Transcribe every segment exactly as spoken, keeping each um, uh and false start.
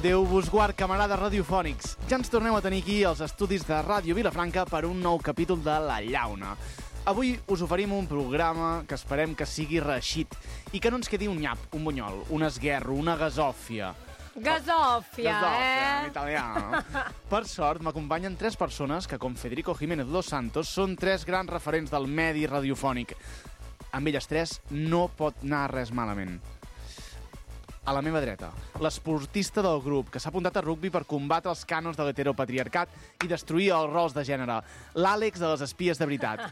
Déu vos guard, camarades radiofònics. Ja ens torneu a tenir aquí als estudis de Ràdio Vilafranca per un nou capítol de La Llauna. Avui us oferim un programa que esperem que sigui reeixit i que no ens quedi un nyap, un bunyol, un esguerro, una gasòfia. Gasòfia, Gasòfia, eh? en italià. Per sort, m'acompanyen tres persones que, com Federico Jiménez dos Santos, són tres grans referents del medi radiofònic. Amb elles tres no pot anar res malament. A la meva dreta, l'esportista del grup, que s'ha apuntat a rugbi per combatre els cànons de l'heteropatriarcat i destruir els rols de gènere. L'Àlex de les espies de veritat.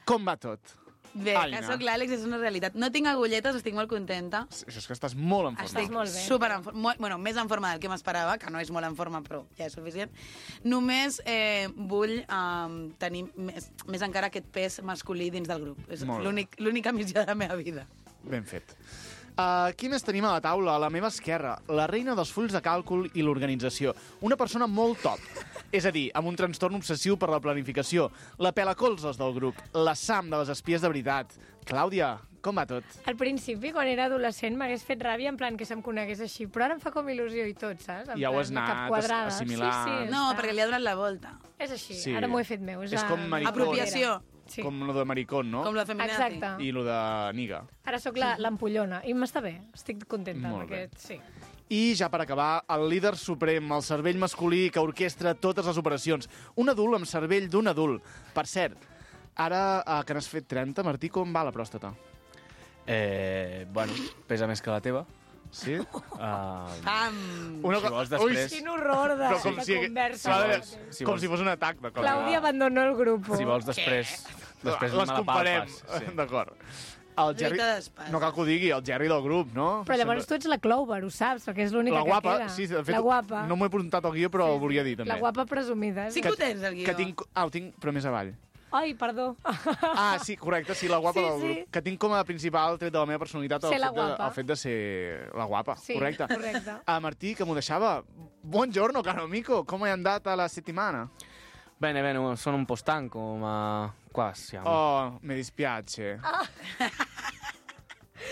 Com va tot? Bé, Aina. que soc l'Àlex, és una realitat. No tinc agulletes, estic molt contenta. Això és que estàs molt en forma. Estic molt bé. super en forma. Bueno, més en forma del que m'esperava, que no és molt en forma, però ja és suficient. Només eh, vull eh, tenir més, més encara aquest pes masculí dins del grup. És Molt bé. l'únic- l'única missió de la meva vida. Ben fet. Uh, qui més tenim a la taula? A la meva esquerra, la reina dels fulls de càlcul i l'organització. Una persona molt top. És a dir, amb un trastorn obsessiu per la planificació. La pelacolzes del grup. La Sam de les espies de veritat. Clàudia, com va tot? Al principi, quan era adolescent, m'hagués fet ràbia en plan que se'm conegués així, però ara em fa com il·lusió i tot, saps? En Ja ho plan, has cap anat quadrada. assimilant. Sí, sí, No, està. perquè li ha donat la volta. És així, Sí. ara m'ho he fet meu. És, És la- com maricón. Apropiació. Sí. Com lo de maricón, no? Com la feminazi. Exacte. I lo de niga. Ara sóc la- l'ampollona i m'està bé, estic contenta Molt amb bé. aquest, sí. I ja per acabar, el líder suprem, el cervell masculí que orquestra totes les operacions. Un adult amb cervell d'un adult. Per cert, ara eh, que n'has fet trenta, Martí, com va la pròstata? Eh, bueno, pesa més que la teva. Sí? Uh, Pam! Una Si vols després- Quin horror de, Però com de si, conversa. s'ha de- Sí. Si com vols- si fos un atac de cor. Claudia abandonó el grup. si vols després... Després les me la comparem. palpes. Sí. D'acord. El Jerry, Lluita d'espasa. no cal que ho digui, el Jerry del grup, no? Però llavors tu ets la Clover, ho saps, perquè és l'única La guapa, que queda. sí, de fet, la guapa. no m'ho he apuntat al guió, però Sí, ho volia sí. dir, també. La guapa presumida. Sí que ho tens, el guió. Que tinc... Ah, ho tinc, però més avall. Ai, perdó. Ah, sí, correcte, sí, la guapa Sí, del sí. grup. Que tinc com a principal tret de la meva personalitat el, Ser la fet de, guapa. el fet de ser la guapa, Sí, correcte. correcte. Ah, Martì, che mi deixava. Buongiorno, caro amico, come è andata la settimana? Bene, bene, sono un po' stanco, ma qua siamo. Oh, mi dispiace.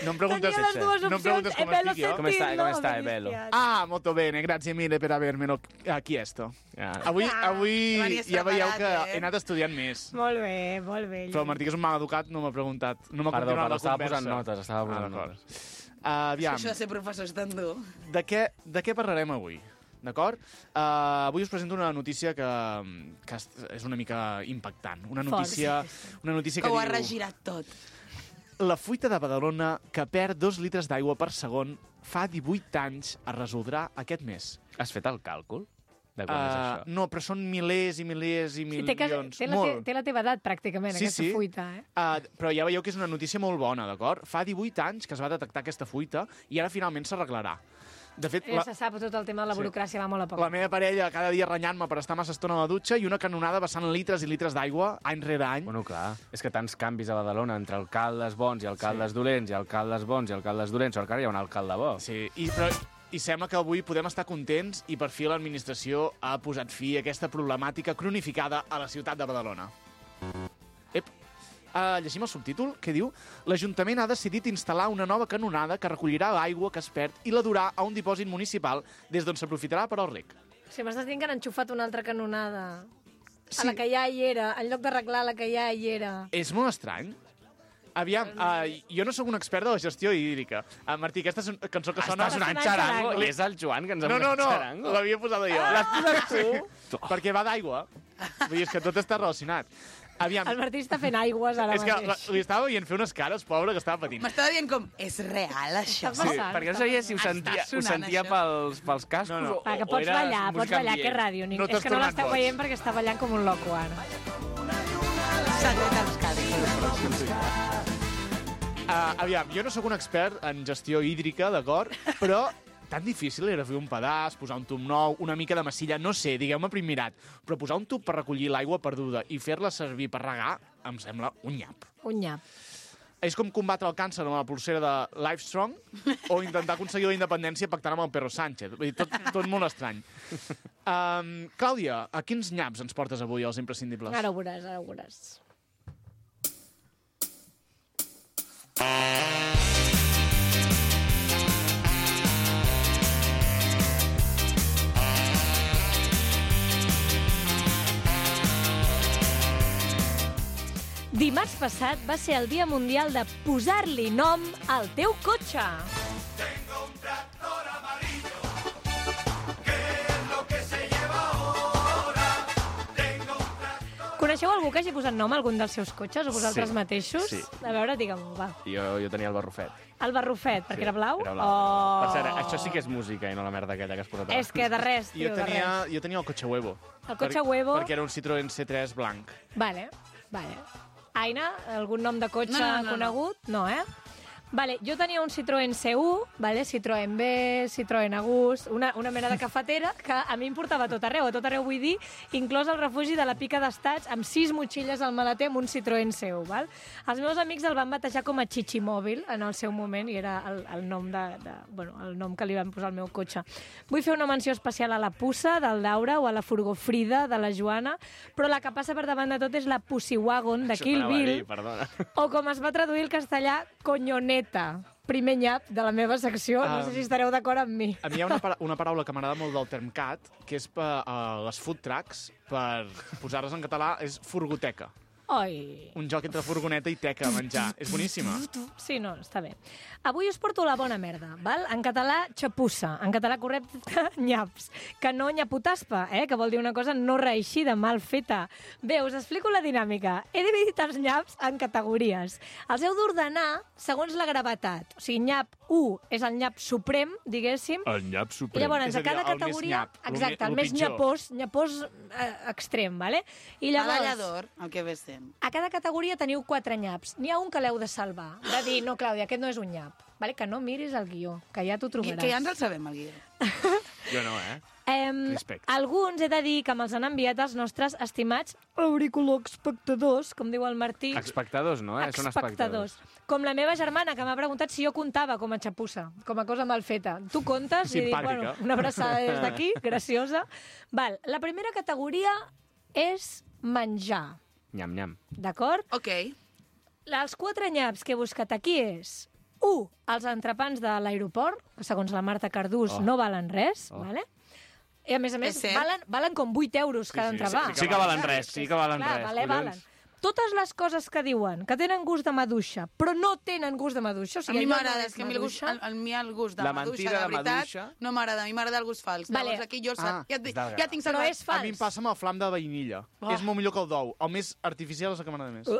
Non preguntes, Tenia les dues non opcions, preguntes è come bello stic io? Come stai, sentirlo, come stai, mi bello? dispiace. Ah, molto bene, grazie mille per avermelo eh, chiesto. Ah, Avui, avui Venies ja veieu preparat, que eh? he anat estudiant més. Molt bé, molt bé. Però el Martí, que és un mal educat, no m'ha preguntat. No m'ha Perdó, continuat perdó, la estava conversa. posant notes, estava posant ah, d'acord. notes. Uh, aviam, Això de ser professor és tan dur. de què, de què parlarem avui? D'acord? Uh, avui us presento una notícia que, que és una mica impactant. Una Fort, notícia, sí, sí. una notícia Que que ho ha diu... regirat tot. La fuita de Badalona, que perd dos litres d'aigua per segon, fa divuit anys, es resoldrà aquest mes. Has fet el càlcul de quan és Uh, això? no, però són milers i milers i Sí, té, que, milions. té, la, té, Molt. té la teva edat, pràcticament, Sí, aquesta sí. fuita. Eh? Uh, però ja veieu que és una notícia molt bona, d'acord? Fa divuit anys que es va detectar aquesta fuita i ara finalment s'arreglarà. De fet, Ja la, se sap, tot el tema de la Sí. burocràcia va molt a poc. la meva parella cada dia renyant-me per estar massa estona a la dutxa i una canonada vessant litres i litres d'aigua any rere any. Bueno, clar, és que tants canvis a Badalona entre alcaldes bons i alcaldes sí. dolents i alcaldes bons i alcaldes dolents, sort que ara hi ha un alcalde bo. Sí, i, però, i sembla que avui podem estar contents i per fi l'administració ha posat fi a aquesta problemàtica cronificada a la ciutat de Badalona. Ep, uh, llegim el subtítol, que diu: l'Ajuntament ha decidit instal·lar una nova canonada que recollirà l'aigua que es perd i la durà a un dipòsit municipal des d'on s'aprofitarà per al rec. Si m'estàs dient que han enxufat una altra canonada Sí. a la que ja hi era, en lloc d'arreglar la que ja hi era. És molt estrany. Aviam, uh, jo no sóc un expert de la gestió hídrica. Uh, Martí, aquesta és una cançó que sona... Estàs sonant sonant xarango? xarango. I és el Joan que ens ha No, no, posat no, xarango? l'havia posada jo. Ah. L'has posat tu? Perquè va d'aigua. Vull dir, és que tot està relacionat. Aviam, El Martí està fent aigües ara és que la, mateix. li estava veient fer unes cares, pobre, que estava patint. M'estava dient com, és real, això? Està passant. Perquè no sabia si ho Està sentia, ho sonant, sentia això. pels, pels cascos No, no. o, Va, que o pots era ballar, música pots ballar, que ambient. ràdio. No No t'has és que no tornat l'esteu boig. veient perquè està ballant com un loco ara. Secret als cadis. Uh, aviam, jo no sóc un expert en gestió hídrica, d'acord? Però tan difícil era fer un pedaç, posar un tub nou, una mica de massilla, no sé, digueu-me prim mirat, però posar un tub per recollir l'aigua perduda i fer-la servir per regar em sembla un nyap. Un nyap. És com combatre el càncer amb la pulsera de Livestrong o intentar aconseguir la independència pactant amb el Pedro Sánchez. Vull dir, tot, tot molt estrany. Um, Clàudia, a quins nyaps ens portes avui, els imprescindibles? Ara ho veuràs, ara ho veuràs. Uh, Dimarts passat va ser el Dia Mundial de posar-li nom al teu cotxe. Tengo un tractor amarillo, que es lo que se lleva ahora. Tengo un tractor... Coneixeu algú que hagi posat nom a algun dels seus cotxes, o vosaltres Sí, mateixos? sí. A veure, digue'm-ho, va. Jo, jo tenia el barrufet. El barrufet, perquè era blau? Era blau. Oh. Per cert, això sí que és música i no la merda aquella que has posat abans. És que de res, tio, Jo de tenia, res. jo tenia el cotxe huevo. El cotxe huevo? Perquè era un Citroën C tres blanc. Vale, vale. Aina, algun nom de cotxe No, no, no, no. conegut? No, eh? Vale, jo tenia un Citroën C u, vale? Citroën B, Citroën Agus, una, una mena de cafetera que a mi em portava a tot arreu, a tot arreu vull dir, inclòs el refugi de la Pica d'Estats, amb sis motxilles al maleter amb un Citroën C u, val? Els meus amics el van batejar com a Chichimòbil en el seu moment i era el, el, nom de, de, bueno, el nom que li van posar al meu cotxe. Vull fer una menció especial a la Pussa, del Daura, o a la Furgofrida, de la Joana, però la que passa per davant de tot és la Pussy Wagon, de Kill Això t'anava a Bill, dir, perdona. o com es va traduir el castellà, Coñoneta, primer nyap de la meva secció. No Ah. sé si estareu d'acord amb mi. A mi hi ha una, para una paraula que m'agrada molt del Termcat, que és per uh, les food trucks, per posar-les en català, és furgoteca. Oi. Un joc entre furgoneta i teca a menjar. És boníssima. Sí, no, està bé. Avui us porto la bona merda, val? En català, xapussa. En català correcte, nyaps. Que no nyaputaspa, eh? Que vol dir una cosa no reeixida, mal feta. Bé, us explico la dinàmica. He dividit els nyaps en categories. Els heu d'ordenar segons la gravetat. O sigui, nyap u és el nyap suprem, diguéssim. El nyap I suprem. llavors, És a a dir, cada el més categoria... nyap, el exacte, me- el el més pitjor. nyapós, nyapós eh, extrem, vale? I llavors... Medallador, el que ve sent. A cada categoria teniu quatre nyaps. N'hi ha un que l'heu de salvar. De dir, no, Clàudia, aquest no és un nyap. Vale? Que no miris el guió, que ja t'ho Que, trobaràs. que ja ens el sabem, el guió. Jo no, eh? Em, Respecte. alguns he de dir que me'ls han enviat els nostres estimats auriculoespectadors, com diu el Martí. Espectadors, no, eh? Són espectadors. Com la meva germana, que m'ha preguntat si jo comptava com a xapussa, com a cosa mal feta. Tu comptes? I dic, Simpàtica. bueno, una abraçada des d'aquí, graciosa. Val, la primera categoria és menjar, Nyam, nyam. d'acord? Ok. Els quatre nyaps que he buscat aquí és u. Els entrepans de l'aeroport, que segons la Marta Cardús Oh. no valen res, Oh. vale? I a més a més, És cert. valen, valen com vuit euros cada sí, entrepà. sí que valen res, sí que valen Clar, res. vale, collons. valen. Totes les coses que diuen que tenen gust de maduixa, però no tenen gust de maduixa, o A sigui, mi allò m'agrada, no és que a mi el gust, maduixa. el, el, mi el gust de La maduixa, mentida de de veritat, maduixa. no m'agrada. A mi m'agrada el gust fals. Vale. Llavors aquí jo, Ah, ja, ja, és ja tinc Però salvat. és fals. A mi em passa amb el flam de vainilla. Oh. És molt millor que el d'ou. El més artificial és el que m'agrada més. Uh.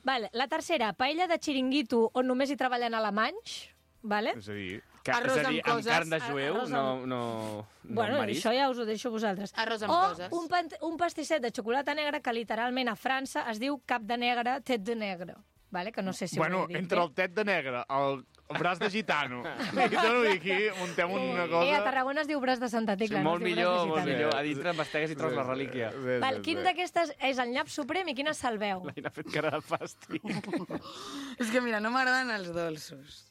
Vale, la tercera, paella de xiringuito on només hi treballen alemanys, vale? És a dir, Que, Arròs és a dir, amb amb coses, carn de jueu, arròs no, amb- no, no Bueno, amb marisc. això ja us ho deixo a vosaltres. Arròs amb o coses. un, pan, un pastisset de xocolata negra que literalment a França es diu cap de negre, tet de negre. Vale? Que no sé si bueno, ho he dit entre bé. el tet de negre, el, el braç de gitano, i t'ho dic aquí, muntem una cosa... Eh, a Tarragona es diu braç de Santa Sí, Tecla. molt no es diu millor, braç de molt gitano. millor. A dintre embastegues i trobes la relíquia. Sí, Val, sí, quin sí. d'aquestes és el nyap suprem i quina salveu? L'Aina ha fet cara de fàstic. És que mira, no m'agraden els dolços.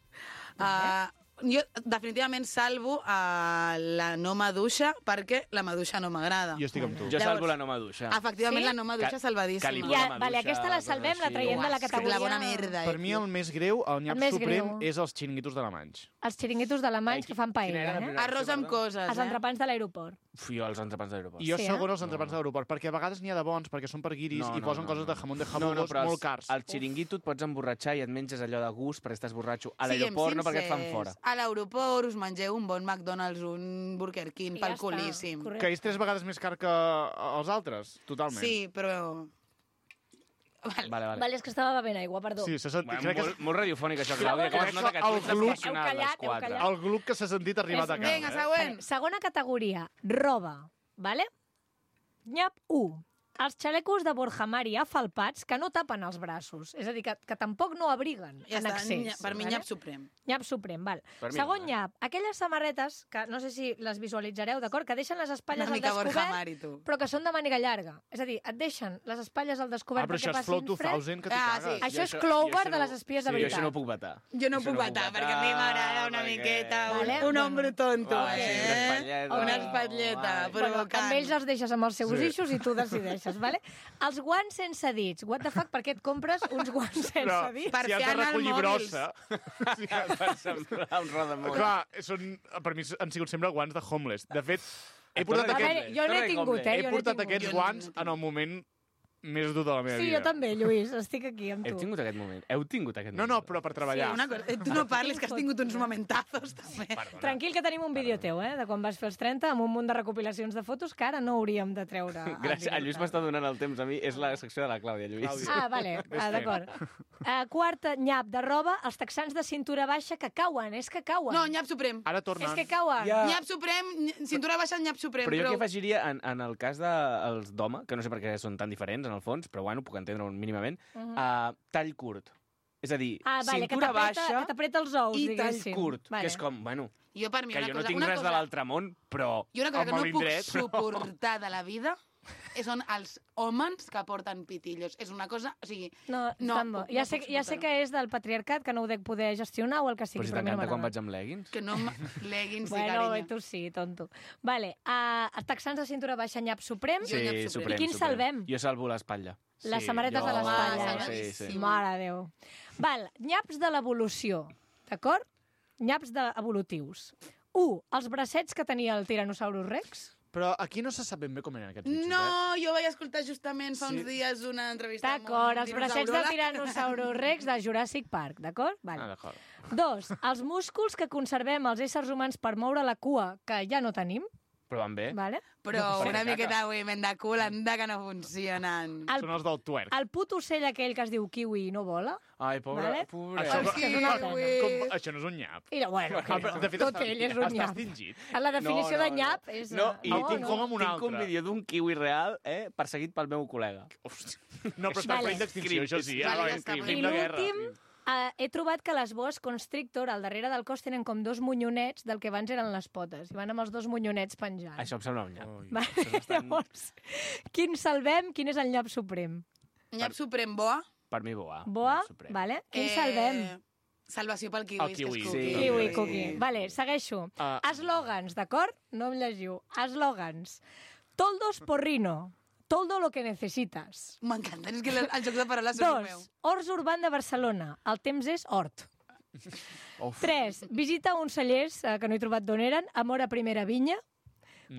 Uh, jo definitivament salvo uh, la no maduixa perquè la maduixa no m'agrada. Jo estic amb tu. Jo Llavors- salvo la no maduixa. Efectivament, Sí? la no maduixa Que- salvadíssima. que li Ja, la vale, maduixa, aquesta la coses salvem, la així. traiem de la Uah, és que categoria... la bona merda. Per mi el més greu, el nyap El més suprem, greu. és els xiringuitos d'Alemanys. Els xiringuitos d'alemanys Ai, que fan quina era paella, la eh? primera? Arròs amb coses, Els eh? entrepans de l'aeroport. Uf, jo els entrepans de l'aeroport. I jo Sí, eh? segon els entrepans de l'aeroport, perquè a vegades n'hi ha de bons, perquè són per guiris i posen coses de jamón de jabugosos però molt els- cars. Al xiringuito et pots emborratxar i et menges allò de gust perquè estàs borratxo. A Siguem l'aeroport no perquè et fan sincers. fora. A l'aeroport us mengeu un bon McDonald's, un Burger King, I ja pel està, culíssim. correcte. Que és tres vegades més car que els altres, totalment. Sí, però... Vale. Vale, vale. Vale, és que estava bevent aigua, perdó. Sí, s'ha sentit, Bueno, crec que molt, molt radiofònic, això, Clàudia, com Crec es nota que que tu el ets gluc- professional, Heu callat, les heu quatre. callat. el gluc que s'ha sentit arribat a casa. Vinga, eh? següent. Vale, segona categoria, roba, vale? Nyap u. Els xalecos de Borja Mari afalpats que no tapen els braços. És a dir, que, que tampoc no abriguen Ja en està, excés. nya- per mi vale? nyap suprem. Nyap suprem, val. Per mi Segon no, eh? nyap, aquelles samarretes, que no sé si les visualitzareu, d'acord? Que deixen les espatlles Una al mica Borja descobert, Mari, tu. però que són de màniga llarga. És a dir, et deixen les espatlles al Ah, descobert però perquè això és passin Flow fred. dos mil, que t'hi Ah, cagues. sí. Això és Jo Clover jo això de no- les espies de sí, veritat. Jo això no ho puc vetar. Jo no Això puc vetar, perquè a mi m'agrada una perquè- miqueta, un, Vale, un bueno. ombro tonto, Va, sí, eh? una espatlleta. Una espatlleta, Vale. Bueno, provocant. amb ells els deixes amb els seus Sí. eixos i tu decideixes, vale? Els guants sense dits. What the fuck, per què et compres uns guants sense Però dits? Per si has fer de anar recollir mòbils. brossa... Per semblar un rodamunt. Clar, són, per mi han sigut sempre guants de homeless. De fet, he Torna portat, a dir aquest, A veure, jo no he Torna a dir tingut, homeless. eh? he Jo no he portat tingut. aquests Jo no- guants en el moment més dur de la meva Sí, vida. jo també, Lluís, estic aquí amb Heu tu. tingut aquest moment? Heu tingut aquest No, moment? no, però per treballar. Una cosa, eh, tu no parlis, que has tingut uns momentazos, també. Tranquil, que tenim un vídeo teu, eh, de quan vas fer els trenta, amb un munt de recopilacions de fotos que ara no hauríem de treure. en Gràcies, el Lluís directe. m'està donant el temps a mi. És la secció de la Clàudia, Lluís. Clàudia. Ah, vale, ah, d'acord. Uh, quarta, nyap de roba, els texans de cintura baixa que cauen, és que cauen. No, nyap suprem. Ara tornen. és que cauen. Ja. Nyap suprem, ny- cintura baixa, nyap suprem. Però jo prou. què afegiria en, en el cas dels de, d'home, que no sé per què són tan diferents, en el fons, però bueno, puc entendre-ho mínimament, uh -huh. uh, tall curt. És a dir, Ah, vale, que cintura t'apreta baixa que t'apreta els ous, i tall diguéssim. curt, Vale. que és com, bueno, Jo, per mi, que una jo cosa, no tinc una res cosa, de l'altre món, però I una cosa que amb no el puc indret... suportar de la vida són els homes que porten pitillos. És una cosa... O sigui, No, no, tan bo. puc- Ja, no sé, puc ja sé suportar-ho. que és del patriarcat, que no ho dec poder gestionar o el que sigui, Però si però a mi no t'encanta quan m'agrada. vaig amb leggings. Que no... m- Leggings i Bueno, carinyo. tu sí, tonto. Vale, uh, els texans de cintura baixa, nyap suprem. Jo nyap Sí, suprem. suprem, I quin suprem. salvem? Jo salvo l'espatlla. Les Sí, samarretes jo- de l'espatlla. Ah, eh? salvadíssim. Sí, sí. Mare de Déu. Val, nyaps de l'evolució, d'acord? Nyaps de evolutius. Un, els bracets que tenia el Tyrannosaurus Rex. Però aquí no se sap ben bé com eren aquests bitxos, eh? No, jo vaig escoltar justament fa uns Sí. dies una entrevista D'acord, els un bracets del dinosauròleg. Tyrannosaurus Rex de Jurassic Park, d'acord? Ah, Vale. d'acord. Dos, els músculs que conservem els éssers humans per moure la cua, que ja no tenim, Però van bé. vale? Però Per una caca. miqueta de moviment de cul, anda que no funcionen. El, Són els del twerk. el put ocell aquell que es diu kiwi i no vola. Ai, pobre, Vale. pobre. Això, El és que és una pena. kiwi. com, això no és un nyap. I no, bueno, Ah, però, de fet, tot està, ell és un està nyap. extingit. La definició No, no, de nyap no. és... No, eh, i El confonc amb un Tinc altre. un vídeo d'un kiwi real, eh, perseguit pel meu col·lega. Hòstia. No, però està Vale. en perill d'extinció, això sí. Vale, Ara, ja està, crim però- I de guerra. l'últim, uh, he trobat que les boas constrictor al darrere del cos tenen com dos monyonets del que abans eren les potes. I van amb els dos monyonets penjant. Això em sembla un nyap. Ui. Vale, Això és bastant- llavors, quin salvem? Quin és el nyap suprem? Nyap suprem boa. Per mi, boa. Boa? Nyap suprem. Vale. Quin salvem? Salvació pel kiwi. El kiwi. Que és Sí. cookie. Kiwi, cookie. Vale, segueixo. Ah. Eslògans, d'acord? No em llegiu. Eslògans. Toldos porrino. Toldo lo que necesitas. M'encanta, és que el, el joc de paraules és el meu. Dos, Horts Urban de Barcelona. El temps és hort. Uf. Tres, visita uns cellers, eh, que no he trobat d'on eren, amor a primera vinya.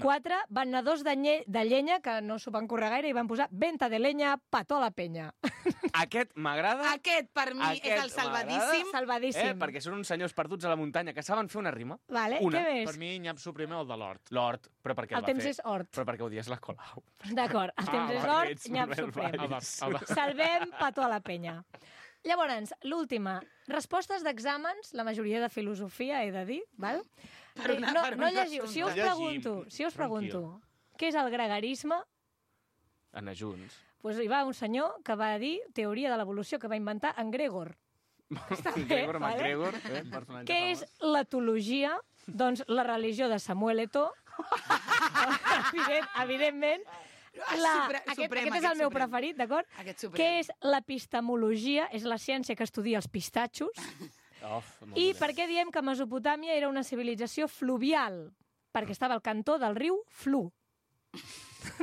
Quatre, venedors de, nye, de llenya, que no s'ho van currar gaire, i van posar venta de leña, pató a la penya. Aquest m'agrada. Aquest, per mi, Aquest és el salvadíssim. Salvadíssim. Eh, perquè són uns senyors perduts a la muntanya que saben fer una rima. Vale, Una. què més? Per mi, nyap suprem el de l'hort. L'hort, però perquè El el va temps fer. és hort. Però perquè odies la Colau. D'acord, el temps Ah, és va, hort, ets nyap Manuel suprem. El de, el de... Salvem pató a la penya. Llavors, l'última. Respostes d'exàmens, la majoria de filosofia, he de dir, val? Per una- Eh, no, per no un llegiu. Si us assumpte. pregunto, si us pregunto, què és el gregarisme? Anar junts. Pues hi va un senyor que va dir teoria de l'evolució que va inventar en Gregor. Està bé, Gregor vale? McGregor, eh, personatge Què és famós. l'etologia? Doncs la religió de Samuel Eto'o. Evident, evidentment. La, Supre- aquest, suprem, aquest és aquest el meu suprem. preferit, d'acord? Aquest suprem. Què és l'epistemologia? És la ciència que estudia els pistatxos. Of, molt I dolent. per què diem que Mesopotàmia era una civilització fluvial? Perquè estava al cantó del riu Flu.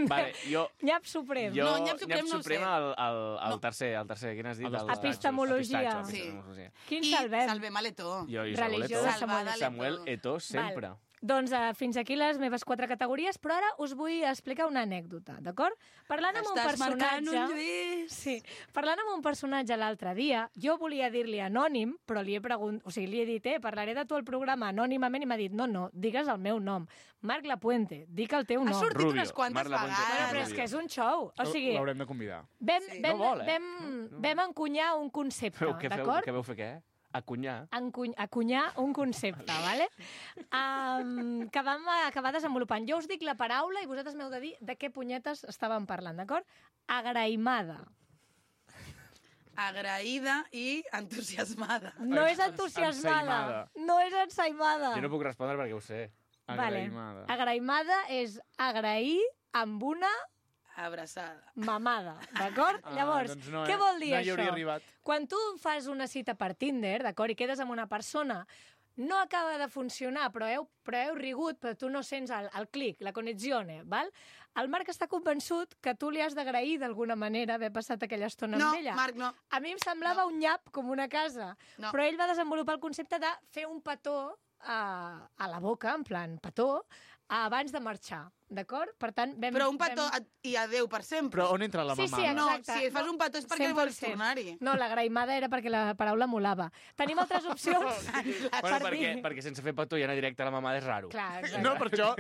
Vale, jo... Nyap suprem. Jo, No, nyap suprem nyap no ho suprem sé. el, el, el No. tercer, el tercer, quin has dit? El dels El pistachos. Epistemologia. El pistatxo, Sí. epistemologia. Quin I salvem? salvem a l'Eto. Jo, i Religió Samuel de Eto'o. Samuel Eto'o. Samuel Eto'o sempre. Val. Doncs uh, fins aquí les meves quatre categories, però ara us vull explicar una anècdota, d'acord? Parlant amb un Estàs marcant personatge... un Lluís. Sí, parlant amb un personatge l'altre dia, jo volia dir-li anònim, però li he pregunt... o sigui, li he dit, eh, parlaré de tu al programa anònimament, i m'ha dit, no, no, digues el meu nom. Marc Lapuente, dic el teu Ha nom. sortit Rubio. unes quantes Marc Lapuente. Bueno, vegades. però és que és un show. O sigui, L'haurem de convidar. vam, Sí. vam, No vol, eh? vam, vam encunyar un concepte, Feu, què feu? d'acord? Què veu fer què? Acunyar. Encuny, acunyar un concepte, vale? um, que vam acabar desenvolupant. Jo us dic la paraula i vosaltres m'heu de dir de què punyetes estàvem parlant, d'acord? Agraïmada. Agraïda i entusiasmada. No és entusiasmada. Ensaïmada. No és ensaïmada. Jo no puc respondre perquè ho sé. Vale. Agraïmada. Agraïmada és agrair amb una Abraçada. mamada, d'acord? Ah, Llavors, doncs no, què eh? vol dir No hi això? hauria arribat. Quan tu fas una cita per Tinder, d'acord, i quedes amb una persona, no acaba de funcionar, però heu, però heu rigut, però tu no sents el, el clic, la connexione, val? El Marc està convençut que tu li has d'agrair d'alguna manera haver passat aquella estona No, amb ella. Marc, no. A mi em semblava un nyap com una casa, No. però ell va desenvolupar el concepte de fer un petó a, a la boca, en plan petó, abans de marxar, d'acord? Per tant, vam... Però un petó vam... i adeu per sempre. Però on entra la Sí, mamada? sí, No, exacte. si fas un petó és perquè cent per vols cent. tornar-hi. No, la graimada era perquè la paraula molava. Tenim altres opcions? Bueno, per perquè, dir- perquè sense fer petó i anar directe a la mamada és raro. Clar, exacte. No, per això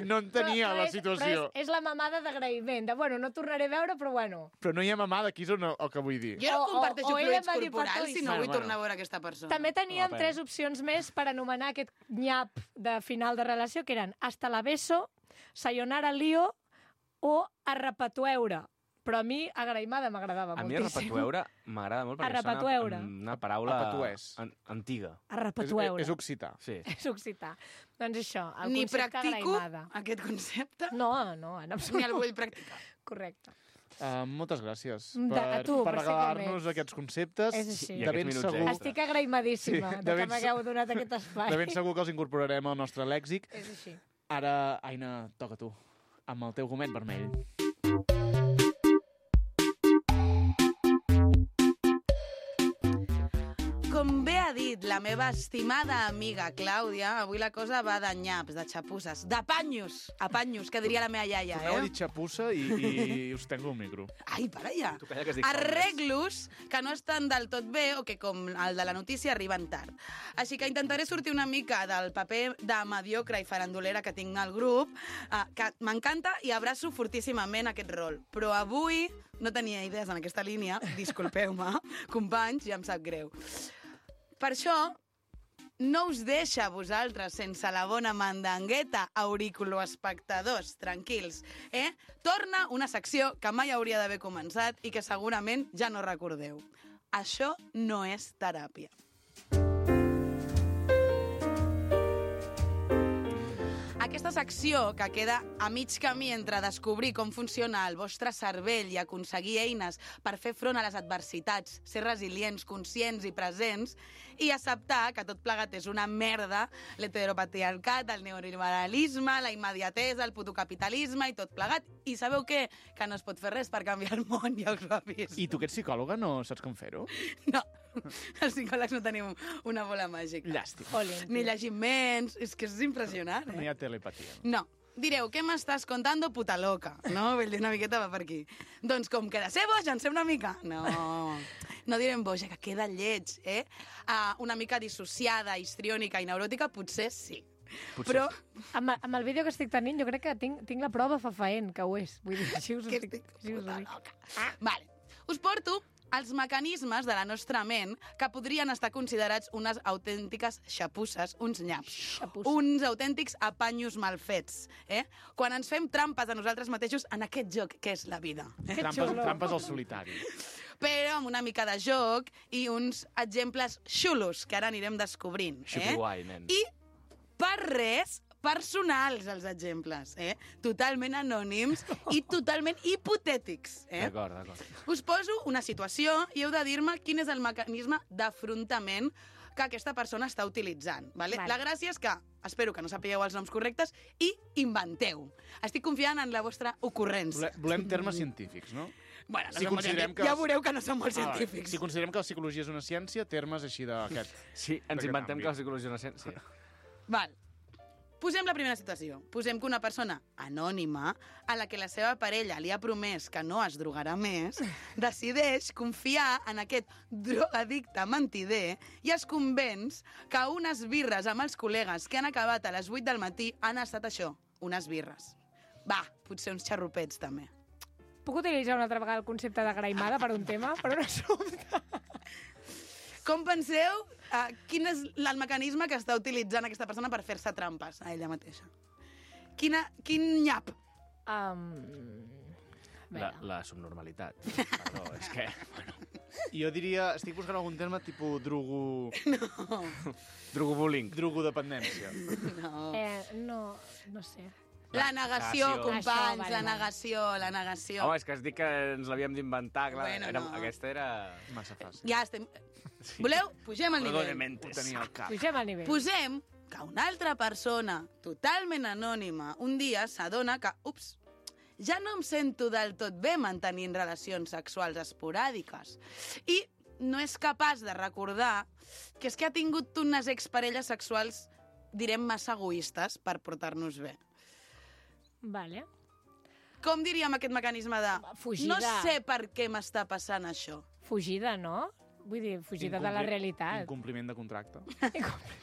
no entenia Però- però la és- situació. Però és, és la mamada d'agraïment, de, bueno, no tornaré a veure, però bueno. Però no hi ha mamada, aquí és on, el que vull dir. Jo no O- o- comparteixo o ella fluids va dir petó corporals i si sí. no vull Bueno, tornar a veure aquesta persona. També teníem Home, tres opcions més per anomenar aquest nyap de final de relació, que eren hasta la beso, sayonara lío o arrepatueure. Però a mi agraïmada m'agradava A mi moltíssim. arrepatueure m'agrada molt perquè Arrepatueure. sona una paraula Arrepatuès. an antiga. És, Arrepatueure. és occità. Sí. És occità. Doncs això, el Ni concepte practico agraïmada. aquest concepte, No, no, en ni absolut. el vull practicar. Correcte. Uh, moltes gràcies De- per, a tu, per per ser com regalar-nos ets. aquests conceptes. És així. I De aquests ben minuts segur, extra. Estic agraïmadíssima Sí, de, de que ben m'hagueu donat aquest espai. de ben segur que els incorporarem al nostre lèxic. És així. Ara, Aina, toca tu, amb el teu gomet vermell. Com bé ha dit la meva estimada amiga Clàudia, avui la cosa va de nyaps, de xapusses, de panyos, a panyos, que diria la meva iaia, Torneu a eh? dir xapussa i, i us tengo el micro. Ai, para ja. Tu calla que es dic Arreglos que no estan del tot bé o que, com el de la notícia, arriben tard. Així que intentaré sortir una mica del paper de mediocre i farandolera que tinc al grup, eh, que m'encanta i abraço fortíssimament aquest rol. Però avui no tenia idees en aquesta línia, disculpeu-me, companys, ja em sap greu. Per això, no us deixa a vosaltres sense la bona mandangueta, auriculoespectadors, tranquils, eh? Torna una secció que mai hauria d'haver començat i que segurament ja no recordeu. Això no és teràpia. Aquesta secció, que queda a mig camí entre descobrir com funciona el vostre cervell i aconseguir eines per fer front a les adversitats, ser resilients, conscients i presents, i acceptar que tot plegat és una merda, l'heteropatriarcat, el neoliberalisme, la immediatesa, el putocapitalisme i tot plegat. I sabeu què? Que no es pot fer res per canviar el món, ja us ho avís. I tu, que ets psicòloga, no saps com fer-ho? No, els psicòlegs no tenim una bola màgica. Llàstima. Olin. Ni llegim menys, és que és impressionant, No eh? hi ha telepatia. No. Direu, què m'estàs contando, puta loca? No? Vull dir, una miqueta va per aquí. Doncs com que de ser boja en sé una mica. No, no direm boja, que queda lleig, eh? Uh, una mica dissociada, histriònica i neuròtica, potser sí. Potser Però Amb, amb el vídeo que estic tenint, jo crec que tinc, tinc la prova fefaent, que ho és. Vull dir, així us ho que dic. estic Així us ho puta dic. loca. Vale. Us porto els mecanismes de la nostra ment que podrien estar considerats unes autèntiques xapusses, uns nyaps, Xapusses. uns autèntics apanyos mal fets, eh? Quan ens fem trampes a nosaltres mateixos en aquest joc que és la vida. Que Trampes, xulo. trampes al solitari. Però amb una mica de joc i uns exemples xulos que ara anirem descobrint. Eh? Xupi-guai, nen. I per res personals, els exemples, eh? Totalment anònims i totalment hipotètics, eh? D'acord, d'acord. Us poso una situació i heu de dir-me quin és el mecanisme d'afrontament que aquesta persona està utilitzant. Vale? Vale. La gràcia és que, espero que no sapigueu els noms correctes, i inventeu. Estic confiant en la vostra ocurrència. Volem, volem termes científics, no? Bueno, no Si som molt considerem científics. que Ja els- veureu que no som molt Ah, vale. científics. Si considerem que la psicologia és una ciència, termes així d'aquest. Sí, ens D'aquest inventem àmbit. que la psicologia no sent... Sí. Val. Posem la primera situació. Posem que una persona anònima, a la que la seva parella li ha promès que no es drogarà més, decideix confiar en aquest drogadicte mentider i es convenç que unes birres amb els col·legues que han acabat a les vuit del matí han estat això, unes birres. Va, potser uns xarrupets, també. Puc utilitzar una altra vegada el concepte de graimada per un tema? Per un assumpte? Com penseu, uh, quin és el mecanisme que està utilitzant aquesta persona per fer-se trampes a ella mateixa? Quina, quin nyap? Um... La, la subnormalitat. Perdó, és que... Bueno, Jo diria, estic buscant algun terme tipus drogo... drogobullying. drogodependència. No. Eh, no, no sé. La negació, Negació. companys, Això, vale, la vale. negació, la negació. Home, és que has dit que ens l'havíem d'inventar, clar. Bueno, era, no. Aquesta era... Massa fàcil. Ja estem... Voleu? Pugem al nivell. Perdónementes. Ho tenia al cap. Pugem al nivell. Posem que una altra persona, totalment anònima, un dia s'adona que, ups, ja no em sento del tot bé mantenint relacions sexuals esporàdiques. I no és capaç de recordar que és que ha tingut unes exparelles sexuals, direm, massa egoistes per portar-nos bé. Vale. Com diríem aquest mecanisme de... Fugida. No sé per què m'està passant això. Fugida, no? Vull dir, fugida de la Incompli- realitat. Incompliment de contracte.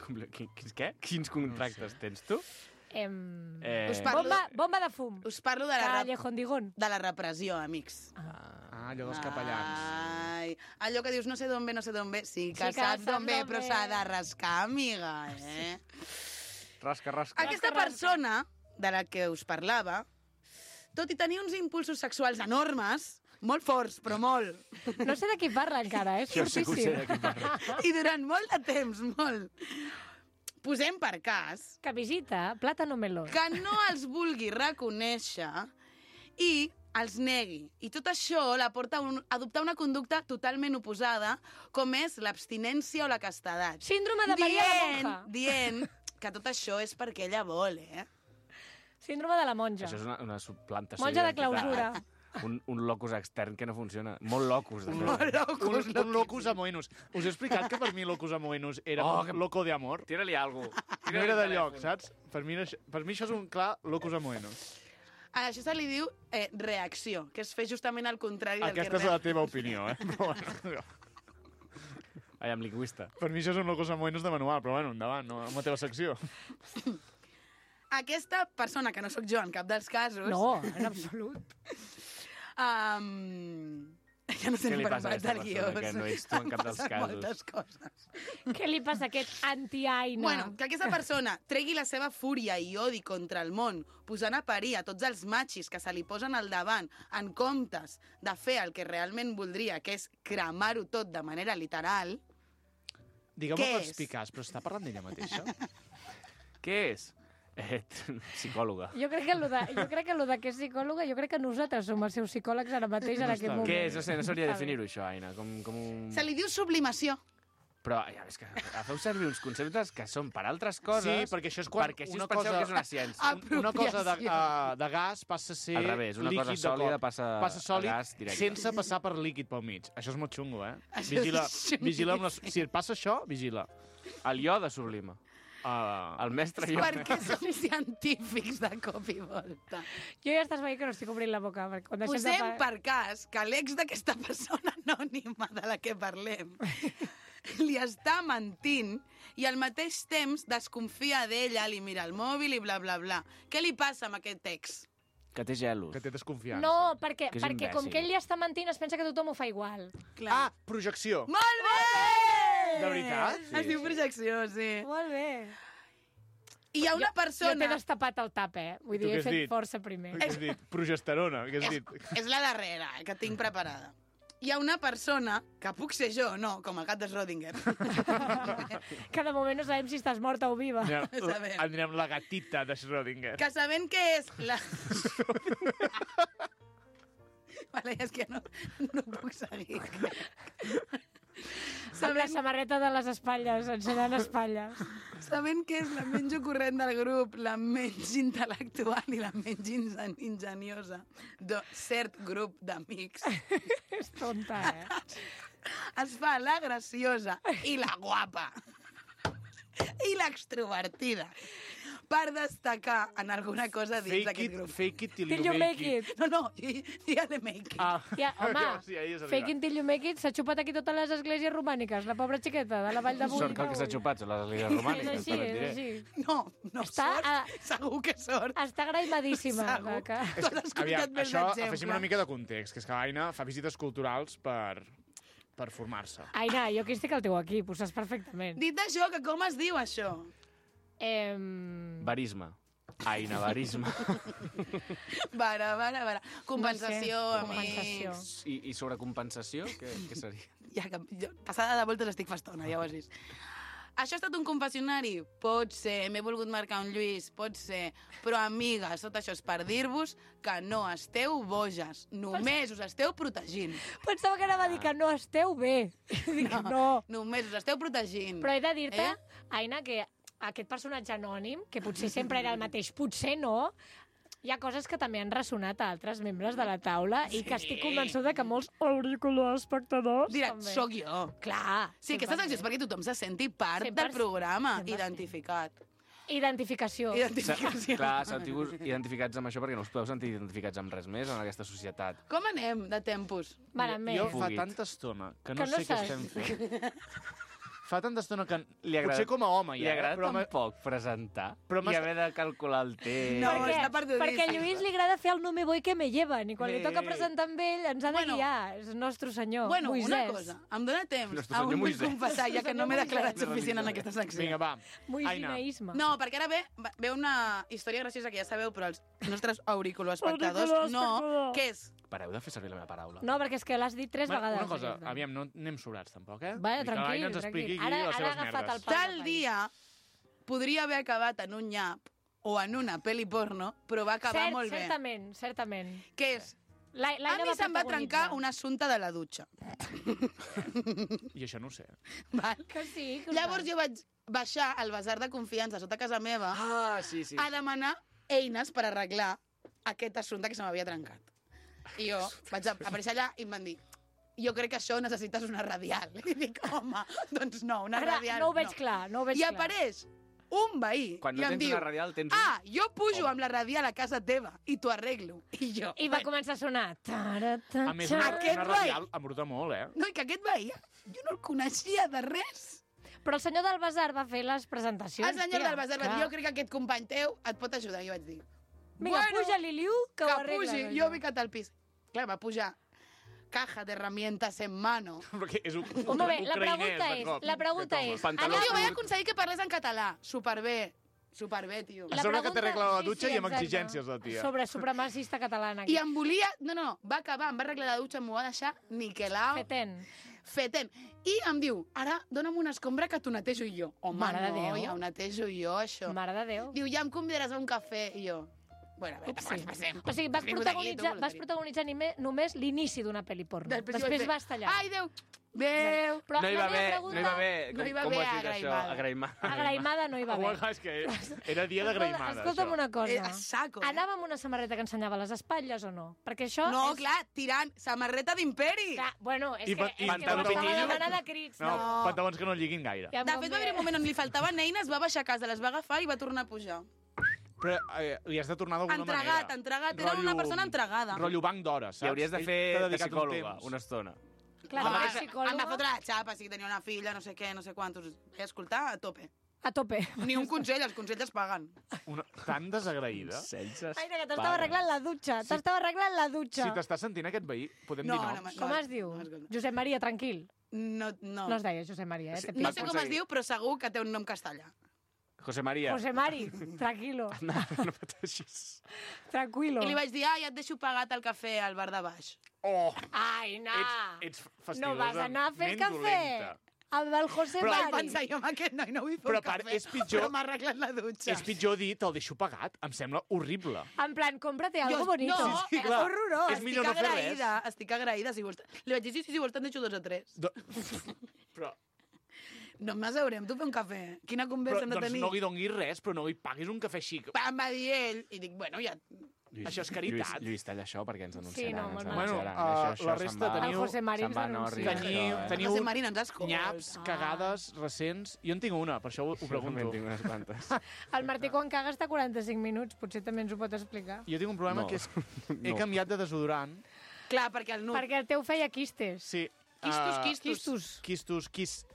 Compli- qui- Quins què? Quins contractes tens tu? Em... Eh, Us parlo- Bomba, bomba de fum. Us parlo de la, rep... Callejón Digón. de la repressió, amics. Ah, allò dels capellans. Ai, allò que dius no sé d'on ve, no sé d'on ve. Sí que, Sí que saps d'on saps ve, d'on però ve. s'ha de rascar, amiga, eh? rasca, rasca. Aquesta rasca. persona de la que us parlava, tot i tenir uns impulsos sexuals enormes, molt forts, però molt, No sé de qui parla encara, eh? És Jo sé que ho sé fortíssim. de qui parla. i durant molt de temps, molt, posem per cas Que visita Plátano Melón. que no els vulgui reconèixer i els negui. I tot això la porta a, un, a adoptar una conducta totalment oposada, com és l'abstinència o la castedat. Síndrome de Maria la dient, Monja. dient que tot això és perquè ella vol, eh? Síndrome de la monja. Això és una, una subplantació Monja de d'identitat. clausura. Un, un locus extern que no funciona. Molt locus, de fet. Molt locos, Un, un locus amoenus. Us he explicat que per mi locus amoenus era Oh, oh, que- loco de amor. Tira-li alguna cosa. No era de lloc, saps? Per mi, no, per mi això és un clar locus amoenus. A això se li diu eh, reacció, que és fer justament el contrari del Aquesta és que... la teva opinió, eh? Però bueno, Ai, amb lingüista. per mi això és un locus amoenus de manual, però bueno, endavant, no, amb la teva secció. Aquesta persona, que no sóc jo en cap dels casos... No, en absolut. Um, ja no sé Què li per passa a part aquesta del guió. persona, que no ets tu en cap dels Em passen casos? moltes coses. Què li passa a aquest anti-Aina? Bueno, que aquesta persona tregui la seva fúria i odi contra el món, posant a parir a tots els machis que se li posen al davant en comptes de fer el que realment voldria, que és cremar-ho tot de manera literal, Digueu-me Què per és? explicar, però està parlant d'ella mateixa? Què és? Eh, psicòloga. Jo crec que lo de, jo crec que lo de que és psicòloga, jo crec que nosaltres som els seus psicòlegs ara mateix en No aquest està bé. moment. Què és? No sé, no sabria Està bé. definir-ho, això, Aina. Com, com un... se li diu sublimació. Però ja, és que feu servir uns conceptes que són per altres coses, Sí, perquè això és quan perquè així una us penseu cosa- que és una ciència. Ah, Un- Una cosa de, Apropiació. uh, de gas passa a ser Al revés, una cosa líquid de sòlida cop. passa passa a sòlid gas directe. sense passar per líquid pel mig. Això és molt xungo, eh? Això Vigila, és xunguíssim. vigila amb les... Si et passa això, vigila. El iode sublima. Uh, El mestre iode. Per què som científics de cop i volta? Jo ja estàs veient que no estic obrint la boca. Perquè quan deixem Posem de... per cas que l'ex d'aquesta persona anònima de la que parlem li està mentint i al mateix temps desconfia d'ella, li mira el mòbil i bla, bla, bla. Què li passa amb aquest ex? Que té gelos. que té desconfiança. No, perquè, Que és perquè com imbècil. que ell li està mentint es pensa que tothom ho fa igual. Ah, projecció. Molt bé! De veritat? Sí, es diu projecció, sí. Molt bé. I hi ha una Jo t'he persona... destapat el tap, eh? Vull Tu dir, què he has fet dit? força primer. Què has dit? Progesterona, què has És, dit? és la darrera, eh, que tinc preparada. Hi ha una persona, que puc ser jo, no, com el gat de Schrödinger, Que de moment no sabem si estàs morta o viva. Anirem, Sabem. anirem la gatita de Schrödinger. que sabent que és la... vale, és que no, no puc seguir. Amb la samarreta de les espatlles, ensenyant espatlles. Sabent que és la menys ocurrent del grup, la menys intel·lectual i la menys ingen ingeniosa de cert grup d'amics, És tonta, eh? es fa la graciosa i la guapa i l'extrovertida per destacar en alguna cosa dins Fake d'aquest it, grup. fake it till Till you you make make it. it. No, no, ja de make it. Ah, Ja, home, sí, ahí és fake it till you make it s'ha xupat aquí totes les esglésies romàniques, la pobra xiqueta de la Vall de Boí. Sort que el que s'ha xupat són les línies És romàniques, així, també et és diré. així. No, no Està sort, a- segur que sort. Està graimadíssima. Segur. Que... Tu has escoltat Aviam, més això, d'exemple. afegim una mica de context, que és que l'Aina fa visites culturals per, per formar-se. Aina, jo aquí estic al teu equip, ho saps perfectament. Dit això, que com es diu això? Em... Barisme. Aina, barisme. Vara, vara, vara. Compensació, No sé, amics. compensació. I, i sobre compensació, què, què seria? Ja que, jo, passada de voltes estic festona, ja ho has vist. Això ha estat un confessionari? Pot ser, m'he volgut marcar un Lluís, pot ser, però amigues, tot això és per dir-vos que no esteu boges, només us esteu protegint. Pensava que anava a dir que no esteu bé. Dic, no. Només us esteu protegint. Però he de dir-te, Eh? Aina, que aquest personatge anònim, que potser sempre era el mateix, potser no, hi ha coses que també han ressonat a altres membres de la taula i que estic convençuda que molts auriculars espectadors Dirà, també. sóc jo. Clar. Sí, aquesta secció és perquè tothom se senti part cent per del cent. programa, cent per cent. identificat. Identificació. Identificació. Clar, sentiu identificats amb això perquè no us podeu sentir identificats amb res més en aquesta societat. Com anem de tempos? Malament. Jo fa Fugit. tanta estona que no, Que no sé què saps. estem fent. Fa tanta estona que... Li agrada- Potser com a home, Li ja, agrada eh? Però tan m'ha- poc presentar Però i m'has- haver de calcular el temps. No, perquè, està perdudíssim. perquè a Lluís li agrada fer el no me voy que me llevan i quan li Bé. toca presentar amb ell ens ha de Bueno. guiar. És nostre senyor, Bueno, Moisès. una cosa, em dóna temps. Nostre Aún senyor vull Moisès. confessar, ja que no m'he Nostre declarat senyor suficient en aquesta secció. Vinga, va. Moisinaïsme. No, perquè ara ve, ve una història graciosa que ja sabeu, però els nostres auriculoespectadors Auriculoespectador. no, que és... Pareu de fer servir la meva paraula. No, perquè és que l'has dit tres Va, vegades. una cosa, aquesta. aviam, no anem sobrats tampoc, eh? Vaya, I que l'Aina tranquil, ens expliqui tranquil. aquí Ara, les ara ha seves agafat merdes. el pal. Tal dia podria haver acabat en un nyap o en una pel·li porno, però va acabar Cert, molt bé. certament, certament. Que és... La, A mi se'm va trencar un assumpte de la dutxa. I això no ho sé. Val? Que sí, que ho Llavors saps. jo vaig baixar al basar de confiança sota casa meva Ah, sí, sí. a demanar eines per arreglar aquest assumpte que se m'havia trencat. I jo vaig aparèixer allà i em van dir jo crec que això necessites una radial. I dic, home, doncs no, una Ara, radial no ho veig clar, no ho veig I clar. apareix un veí Quan i no em tens diu una radial, tens un... ah, jo pujo amb la radial a casa teva i t'ho arreglo. I jo... I va començar a sonar. Tara, ta, A més, ta. una, Aquest una veí- radial embruta molt, eh? No, i que aquest veí jo no el coneixia de res. Però el senyor del Basar va fer les presentacions. El senyor tia. del basar va dir, jo crec que aquest company teu et pot ajudar. I jo vaig dir, Vinga, puja-li, Liu, que, que ho arregla. pugi, jo he ficat al pis. Clar, va pujar caja de herramientas en mano. Perquè és un, Home, bé, la ucraïnès, pregunta de és, cop. la pregunta és... Pantaló Allà jo anava- vaig aconseguir que parlés en català. Superbé. Superbé, tio. A sobre que pregunta- t'arregla la sí, dutxa sí, i amb exacte. exigències, la tia. Sobre supremacista catalana. I em volia... No, no, va acabar, em va arreglar la dutxa, m'ho va deixar niquelau, Feten. fetent. I em diu, ara dona'm una escombra que t'ho netejo jo. Home, Mare de no, Déu. ja ho netejo jo, això. Mare de Déu. Diu, ja em convidaràs a un cafè. I jo, bueno, a veure, Upsi. tampoc ens passem. O sigui, vas Has vingut protagonitzar, aquí, tu, vas protagonitzar nime- només l'inici d'una pel·li porno. Després, Després, jo vaig fer, vas tallar. Ai, Déu, Déu. Però No hi la va meva haver, pregunta... no hi va haver, No hi com, va com ho haver has dit això? agraïmada. Agraïmada. Agraïmada no hi va Home, haver. és que era dia d'agraïmada, Escolta'm això. una cosa. Eh, a saco, eh? Anava amb una samarreta que ensenyava les espatlles o no? Perquè això No, és... clar, tirant, samarreta d'imperi. Clar, bueno, és I que, pa- és i que pantaló m'estava pitillo. demanant de crits. No, No. pantalons que no lliguin gaire. Ja em De fet, va haver un moment on li faltaven eines, va baixar a casa, les va agafar i va tornar a pujar. Però eh, li has de tornar d'alguna manera. Entregat, entregat. Era una persona entregada. Rotllo banc d'hores, saps? I hauries de Ell fer t'ha de dedicat un psicòloga temps. una estona. Clar, Home, de em va psicòloga fotre la xapa, sí, tenia una filla, no sé què, no sé quantos. Vaig escoltar a tope. a tope. Ni un consell, els consells es paguen. Una... Tan desagraïda. Celses. Ai, que t'estava arreglant la dutxa. T'estava arreglant la dutxa. Si t'està sentint aquest veí, podem No, dir no, noms. no, Com es diu? no, escolta. Josep Maria, tranquil. No, no. No es deia Josep Maria, eh? Sí, Te No pico. sé com es aconseguir. diu, però segur que té un nom castellà. José María. José Mari, tranquilo, No, no pateixis. tranquilo. I li vaig dir, ai, et deixo pagat el cafè al bar de baix. Oh, Ai, no. ets, ets fastidiosa. No vas anar a fer ment cafè dolenta. amb el José Però Vaig Mari. pensar jo amb aquest noi, no vull fer Però un a part, cafè, és pitjor- però m'ha arreglat la dutxa. És pitjor dir, te'l deixo pagat. Em sembla horrible. En plan, cómprate algo Jo- bonito. no, Sí, sí, és clar. horrorós. És millor no estic fer res. agraïda, estic agraïda, si vols. Li vaig dir, sí, sí, si vols te'n deixo dos o tres. Do... però, No m'asseurem, tu fer un cafè. Quina però conversa hem de doncs tenir? no li donguis res, però no li paguis un cafè xic. Em va dir ell, i dic, bueno, ja... Lluís, Això és caritat. Lluís, Lluís, talla això perquè ens denunciaran. Sí, no, ens molt denunciaran. mal. Bueno, Això- això la se'n resta va- El teniu- José Mari se'n ens va anar denuncia. horrible, Teniu, això, eh? teniu José Mari no ens escolta. nyaps, cagades, recents... Jo en tinc una, per això ho, ho Jo també pregunto. en tinc unes quantes. El Martí quan caga està quaranta-cinc minuts, potser també ens ho pot explicar. Jo tinc un problema No. que és... He No. canviat de desodorant. Clar, perquè el nu... Perquè el teu feia quistes. Sí. Quistos, ah, quistos. Quistos. Quistos, quis...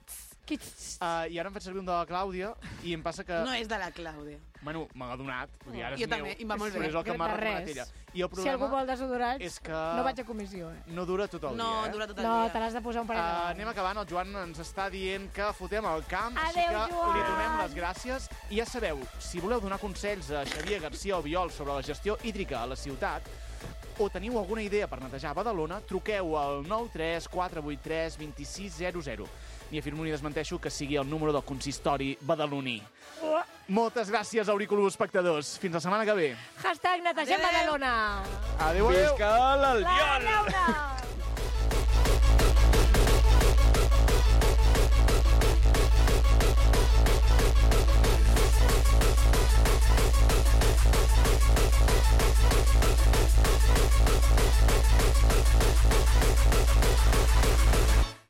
Quistos. Uh, I ara em faig servir un de la Clàudia i em passa que... No és de la Clàudia. Bueno, me l'ha donat. Vull dir, ara és Jo meu, també, i em va molt bé. però és el que m'ha De recomanat res. ella. I el Si algú problema vol desodorants, és que no vaig a comissió, eh? no dura tot el No, dia, eh? dura tot el No, dia. te l'has de posar un parell de Uh, vegades. anem acabant, el Joan ens està dient que fotem el camp, Adéu, així que Joan! li donem les gràcies. I ja sabeu, si voleu donar consells a Xavier García Albiol sobre la gestió hídrica a la ciutat, o teniu alguna idea per netejar Badalona, truqueu al nou tres quatre vuit tres dos sis zero zero. Ni afirmo ni desmenteixo que sigui el número del consistori badaloní. Oh. Moltes gràcies, auriculars espectadors. Fins la setmana que ve. Hashtag netegem Adéu, adéu. Badalona. Adéu, adéu. Visca l'Albiol! La llauna!